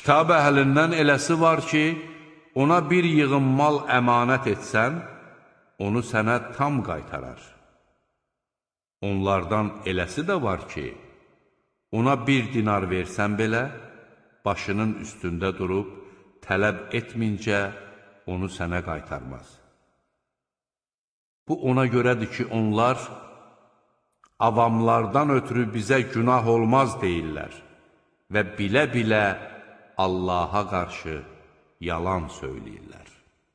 Kitab əhlindən eləsi var ki, ona bir yığın mal əmanət etsən, onu sənə tam qaytarar. Onlardan eləsi də var ki, ona 1 dinar versən belə, başının üstündə durub, tələb etmincə onu sənə qaytarmaz. Bu ona görədir ki, onlar avamlardan ötürü bizə günah olmaz deyirlər və bilə-bilə Allaha qarşı yalan söyləyirlər.